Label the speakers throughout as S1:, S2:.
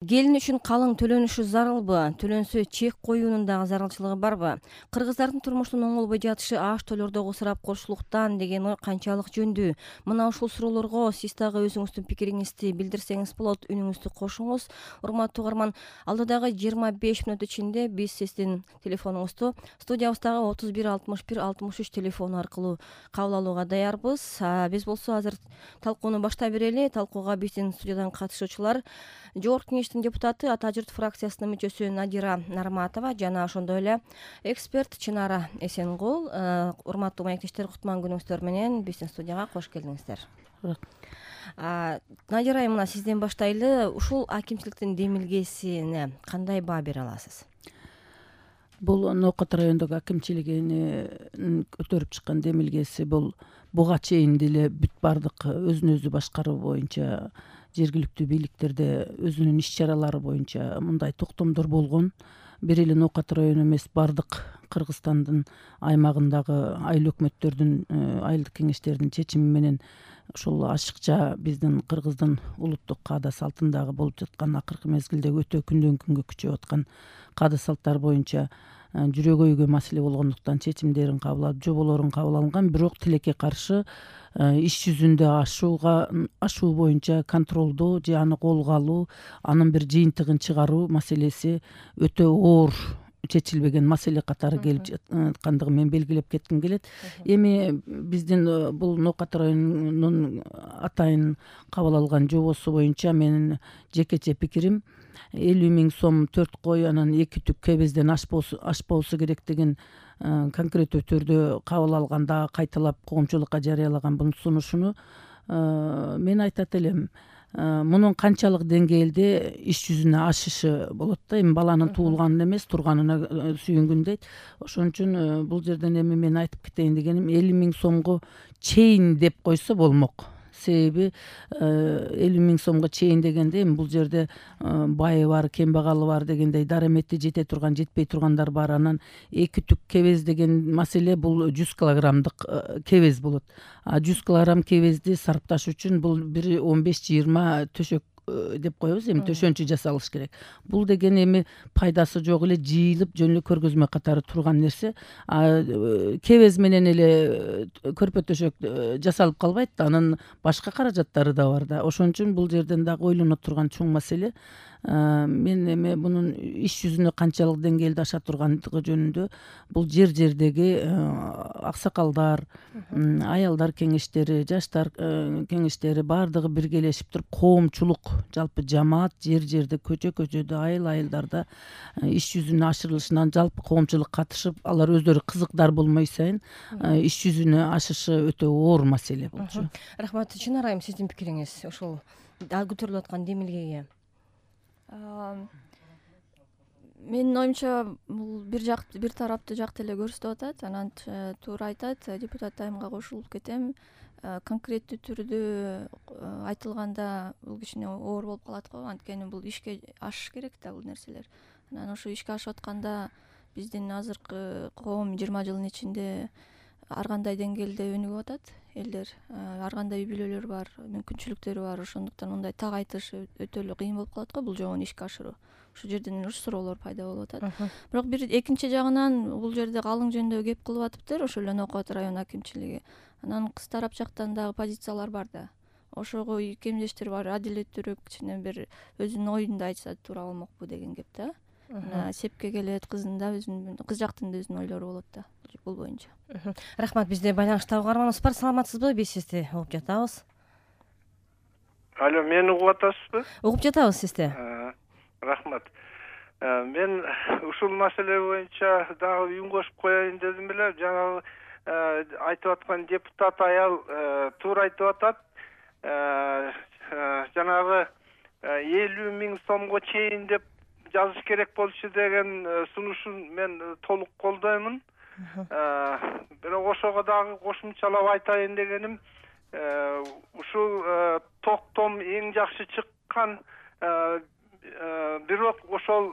S1: Келин үчүн калың төлөнүшү зарылбы? Төлөнсө чек коюунун дагы зарылчылыгы барбы? Кыргыздардын турмуштун оңолбой жатышы аш тойлордогу ысырап кошулуктан деген ой канчалык жөндүү? Мына ушул суроолорго сиз дагы өзүңүздүн пикириңизди билдирсеңиз болот. Үнүңүздү кошуңуз. Урматтуу угарман, алдыдагы 25 мүнөт ичинде биз сиздин телефонуңузду студиябыздагы 31 61 63 телефону аркылуу кабыл алууга даярбыз. Биз болсо азыр талкууну баштай берели. Талкууга биздин студиядан катышуучулар Жогорку Кеңештин депутаты, Ата журт фракциясынын мүчөсү Надира Нарматова жана ошондой эле эксперт Чынара Эсенгул. Урматтуу маектештер, кутман күнүңүздөр менен биздин студияга кош келиңиздер. Надира айым, мына сизден баштайлы. Ушул акимчиликтин демилгесине кандай баа бере аласыз?
S2: Бул Ноокат райондогу акимчилигинин көтөрүп чыккан демилгеси бул буга чейин деле бүт баардык өзүн өзү башкаруу боюнча жергиликтүү бийликтерде өзүнүн иш чаралары боюнча мындай токтомдор болгон. Бир эле Ноокат району эмес, баардык Кыргызстандын аймагындагы айыл өкмөттөрдүн, айылдык кеңештердин чечими менен ушул ашыкча биздин Кыргыздын улуттук каада салтындагы болуп жаткан акыркы мезгилдеги өтө күндөн күнгө күчөп аткан каада салттар боюнча жүрөгөйгө маселе болгондуктан чечимдерин кабыл алып, жоболорун кабыл алынган. Бирок тилекке каршы иш жүзүндө ашуу боюнча контролдоо же аны колго алуу, анын бир жыйынтыгын чыгаруу маселеси өтө оор чечилбеген маселе катары келип жаткандыгын мен белгилеп кетким келет. Эми биздин бул Ноокат районунун атайын кабыл алган жобосу боюнча менин жекече пикирим 50 000 сом 4 кой анан 2 түк кебезден ашпоосу керектигин конкреттүү түрдө кабыл алганда кайталап коомчулукка жарыялаган бул сунушуну мен айтат элем, мунун канчалык деңгээлде иш жүзүнө ашышы болот да. Эми баланын туулганына эмес, турганына сүйүнгүн дейт. Ошон үчүн бул жерден эми мен айтып кетейин дегеним, 50 000 сомго чейин деп койсо болмок. Себеби 50 000 сомго чейин дегенде эми бул жерде байы бар, кембагалы бар дегендей, дарамети жете турган, жетпей тургандар бар. Анан 2 түк кебез деген маселе бул 100 килограммдык кебез болот. 100 килограмм кебезди сарпташ үчүн бул бир 15-20 төшөк деп коебуз, эми төшөнчү жасалыш керек. Бул деген эми пайдасы жок эле жыйылып жөн эле көргөзмө катары турган нерсе. Кебез менен эле көрпө төшөк жасалып калбайт да, анын башка каражаттары да бар да. Ошон үчүн бул жерден дагы ойлоно турган чоң маселе. Мен эми мунун иш жүзүнө канчалык деңгээлде аша тургандыгы жөнүндө бул жердеги аксакалдар, аялдар кеңештери, жаштар кеңештери баардыгы биргелешип туруп, коомчулук, жалпы жамаат жерде, көчөдө, айылдарда иш жүзүнө ашырылышынан жалпы коомчулук катышып, алар өздөрү кызыктар болмой сайын иш жүзүнө ашышы өтө оор маселе болчу.
S1: Рахмат. Чынара айым, сиздин пикириңиз ушул көтөрүлүп аткан демилгеге?
S3: Менин оюмча бул бир тарапты жакты эле көрсөтүп атат. Анан туура айтат, депутат айымга кошулуп кетем. Конкреттүү түрдө айтылганда бул кичине оор болуп калат го, анткени бул ишке ашыш керек да бул нерселер. Анан ошо ишке ашып атканда биздин азыркы коом 20 жылдын ичинде ар кандай деңгээлде өнүгүп атат элдер, ар кандай үй бүлөлөр бар, мүмкүнчүлүктөрү бар. Ошондуктан мындай так айтыш өтө эле кыйын болуп калат го бул жобону ишке ашыруу. Ушул жерден уруш суроолор пайда болуп атат. Бирок бир экинчи жагынан бул жерде калың жөнүндө кеп кылып атыптыр ошол эле Ноокат район акимчилиги. Анан кыз тарап жактан дагы позициялар бар да. Ошого икемдештер бар, адилеттүүрөөк кичине бир өзүнүн оюн да айтса туура болмокпу деген кеп да. Сепке келет, кыздын да кыз жактын да өзүнүн ойлору болот да бул боюнча.
S1: Рахмат. Бизде байланышта угарманыбыз бар. Саламатсызбы? Биз сизди угуп жатабыз.
S4: Алло, мени угуп атасызбы?
S1: Угуп жатабыз сизди.
S4: Рахмат. Мен ушул маселе боюнча дагы үн кошуп коеюн дедим эле. Жанагы айтып аткан депутат аял туура айтып атат. Жанагы 50 000 сомго чейин деп жазыш керек болчу деген сунушун мен толук колдоймун. Бирок ошого дагы кошумчалап айтайын дегеним, ушул токтом эң жакшы чыккан, бирок ошол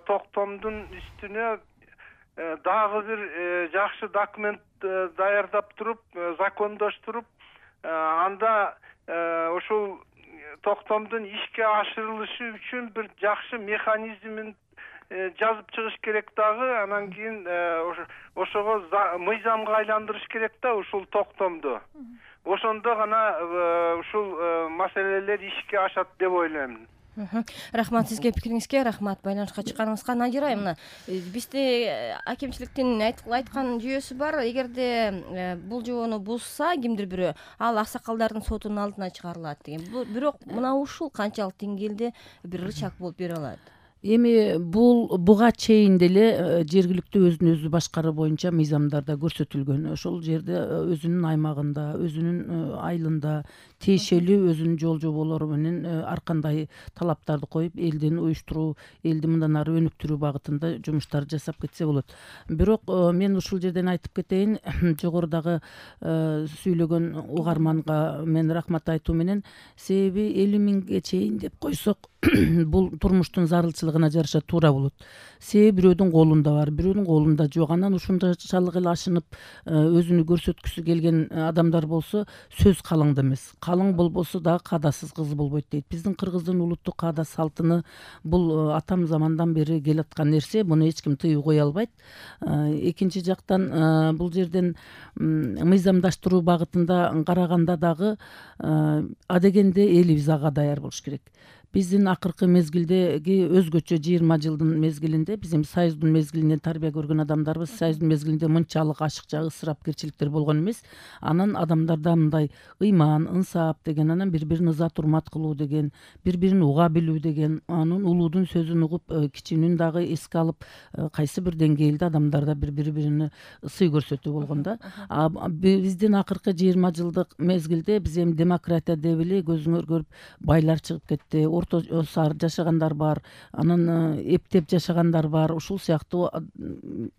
S4: токтомдун үстүнө дагы бир жакшы документ даярдап туруп, закондоштуруп, анда ушул токтомдун ишке ашырылышы үчүн бир жакшы механизмин жазып чыгыш керек дагы. Анан кийин ошого мыйзамга айландырыш керек да ушул токтомду. Ошондо гана ушул маселелер ишке ашат деп ойлойм.
S1: Рахмат сизге, пикириңизге рахмат, байланышка чыкканыңызга. Надира айымына, бизде акимчиликтин айткан жүйөсү бар. Эгерде бул жобону бузса кимдир бирөө, ал аксакалдардын сотунун алдына чыгарылат деген. Бирок мына ушул канчалык деңгээлде бир рычаг болуп бере алат?
S2: Эми буга чейин деле жергиликтүү өзүн өзү башкаруу боюнча мыйзамдарда көрсөтүлгөн. Ошол жерде өзүнүн аймагында, өзүнүн айылында тиешелүү өзүнүн жол жоболору менен ар кандай талаптарды коюп, элдин уюштуруу, элди мындан ары өнүктүрүү багытында жумуштар жасап кетсе болот. Бирок мен ушул жерден айтып кетейин, жогорудагы сүйлөгөн угарманга мен рахмат айтуу менен, себеби 50 миңге чейин деп койсок, бул турмуштун зарылчылыгына жараша туура болот. Себеби бирөөдүн колунда бар, бирөөнүн колунда жок. Анан ушунчалык эле ашынып өзүнү көрсөткүсү келген адамдар болсо, сөз калыңда эмес. Калың болбосо дагы каадасыз кыз болбойт дейт. Биздин кыргыздын улуттук каада салтыны бул атам замандан бери келаткан нерсе, буну эч ким тыюу кое албайт. Экинчи жактан бул жерден мыйзамдаштыруу багытында караганда дагы адегенде элибиз ага даяр болуш керек. Биздин акыркы мезгилдеги өзгөчө 20 жылдын мезгилинде, биз эми союздун мезгилинен тарбия көргөн адамдарбыз. Союздун мезгилинде мынчалык ашыкча ысырапкерчиликтер болгон эмес. Анан адамдарда мындай ыйман, ынсап деген, анан бири-бирин ызат урмат кылуу деген, бири-бирин уга билүү деген, анын улуудун сөзүн угуп, кичүүнүн дагы эске алып, кайсы бир деңгээлде адамдарда бири-бирине сый көрсөтүү болгон да. Биздин акыркы 20 жылдык мезгилде биз эми демократия деп эле көзүңөр көрүп байлар чыгып кетти. Орто сар жашагандар бар, анан эптеп жашагандар бар. Ушул сыяктуу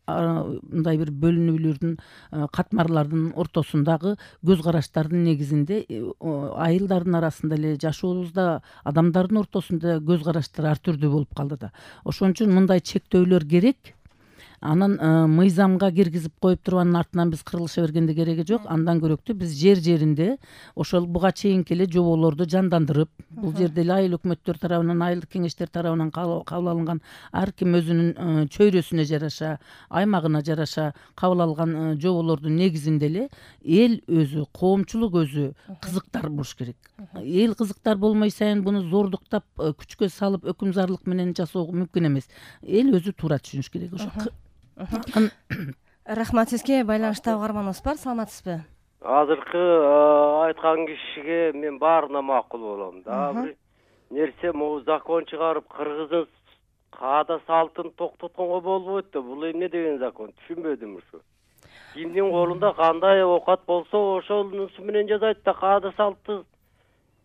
S2: мындай бир бөлүнүүлөрдүн, катмарлардын ортосундагы көз караштардын негизинде айылдардын арасында эле жашообузда адамдардын ортосунда көз караштар ар түрдүү болуп калды да. Ошон үчүн мындай чектөөлөр керек. Анан мыйзамга киргизип коюп туруп анын артынан биз кырылыша бергенде кереги жок. Андан көрөктүү биз жер-жеринде ошол буга чейинки эле жоболорду жандандырып, бул жерде эле айыл өкмөттөр тарабынан, айылдык кеңештер тарабынан кабыл алынган, ар ким өзүнүн чөйрөсүнө жараша, аймагына жараша кабыл алган жоболордун негизинде эле эл өзү, коомчулук өзү кызыктар болуш керек. Эл кызыктар болмой сайын буну зордуктап, күчкө салып, өкүмзарлык менен жасоо мүмкүн эмес. Эл өзү туура түшүнүш керек.
S1: Рахмат сизге, байланышта угарманыбыз бар. Саламатсызбы?
S5: Азыркы айткан кишиге мен баарына макул болом да. Бир нерсе могу закон чыгарып, кыргыздын каада салтын токтотконго болбойт да. Бул эмне деген закон? Түшүнбөдүм ушу. Кимдин колунда кандай оокат болсо, ошонусу менен жасайт да. Каада салты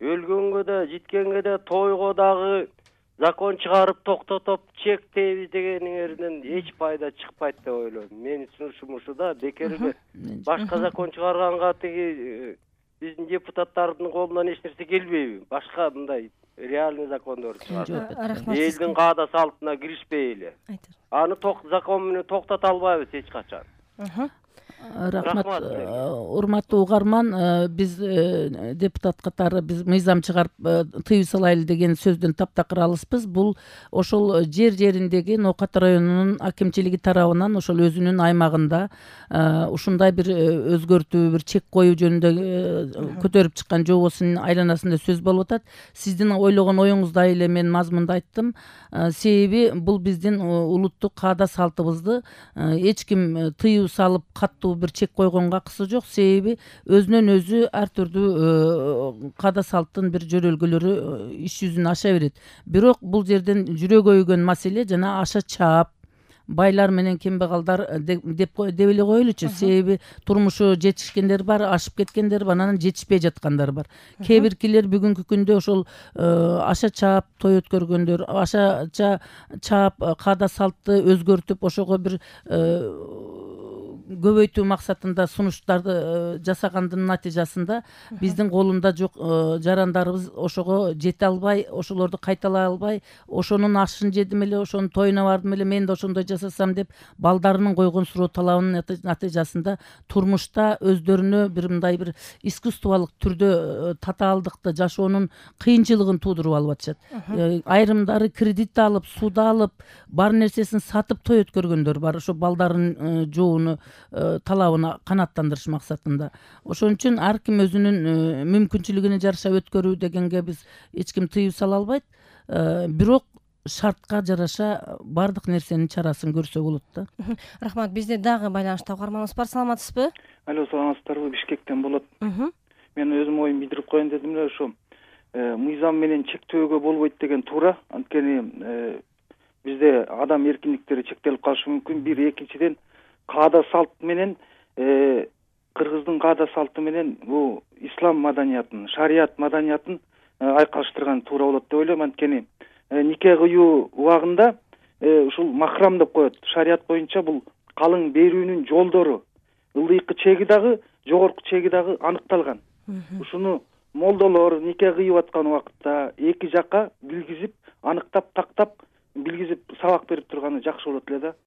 S5: өлгөнгө да, житкенге да, тойго дагы закон чыгарып токтотуп чектейбиз дегениңерден эч пайда чыкпайт деп ойлойм. Менин сунушум ушу да. Бекерге башка закон чыгарганга тиги биздин депутаттардын колунан эч нерсе келбейби? Башка мындай реальный закондор чыгарып, элдин каада салтына киришпей эле. Аны закон менен токтото албайбыз эч качан.
S2: Рахмат, урматтуу угарман. Биз депутат катары биз мыйзам чыгарып тыюу салайлы деген сөздөн таптакыр алыспыз. Бул ошол жер-жериндеги Ноокат районунун акимчилиги тарабынан ошол өзүнүн аймагында ушундай бир өзгөртүү, бир чек коюу жөнүндө көтөрүп чыккан жобосунун айланасында сөз болуп атат. Сиздин ойлогон оюңуздай эле мен мазмунда айттым. Себеби бул биздин улуттук каада салтыбызды эч ким тыюу салып каттуу бир чек койгонго акысы жок. Себеби өзүнөн өзү ар түрдүү каада салттын бир жөрөлгөлөрү иш жүзүнө аша берет. Бирок бул жерден жүрөк өйгөн маселе жана аша чаап байлар менен кембагалдар деп эле коелучу. Себеби турмушу жетишкендер бар, ашып кеткендер бар, анан жетишпей жаткандар бар. Кээ биркилер бүгүнкү күндө ошол аша чаап той өткөргөндөр, аша чаап каада салтты өзгөртүп, ошого бир көбөйтүү максатында сунуштарды жасагандын натыйжасында биздин колунда жок жарандарыбыз ошого жете албай, ошолорду кайталай албай, ошонун ашын жедим эле, ошонун тоюна бардым эле, мен да ошондой жасасам деп балдарынын койгон суроо талабынын натыйжасында турмушта өздөрүнө бир мындай бир искусстволук түрдө татаалдыкты жашоонун кыйынчылыгын туудуруп алып атышат. Айрымдары кредит алып, суда алып, бар нерсесин сатып той өткөргөндөр бар, ошо балдарынын жоону талабына канааттандырыш максатында. Ошон үчүн ар ким өзүнүн мүмкүнчүлүгүнө жараша өткөрүү дегенге биз эч ким тыюу сала албайт, бирок шартка жараша баардык нерсенин чарасын көрсө болот да.
S1: Рахмат. Бизде дагы байланышта угарманыбыз бар. Саламатсызбы?
S6: Алло, саламатсыздарбы? Бишкектен болот. Мен өзүм оюмду билдирип коеюн дедим эле, ошо мыйзам менен чектөөгө болбойт деген туура. Анткени бизде адам эркиндиктери чектелип калышы мүмкүн. Бир, экинчиден каада салт менен кыргыздын каада салты менен бул ислам маданиятын, шарият маданиятын айкалыштырган туура болот деп ойлойм. Анткени нике кыюу убагында ушул махрам деп коет. Шарият боюнча бул калың берүүнүн жолдору, ылдыйкы чеги дагы, жогорку чеги дагы аныкталган. Ушуну молдолор нике кыйып аткан убакытта эки жакка билгизип, аныктап, тактап, билгизип, сабак берип турганы жакшы болот эле да.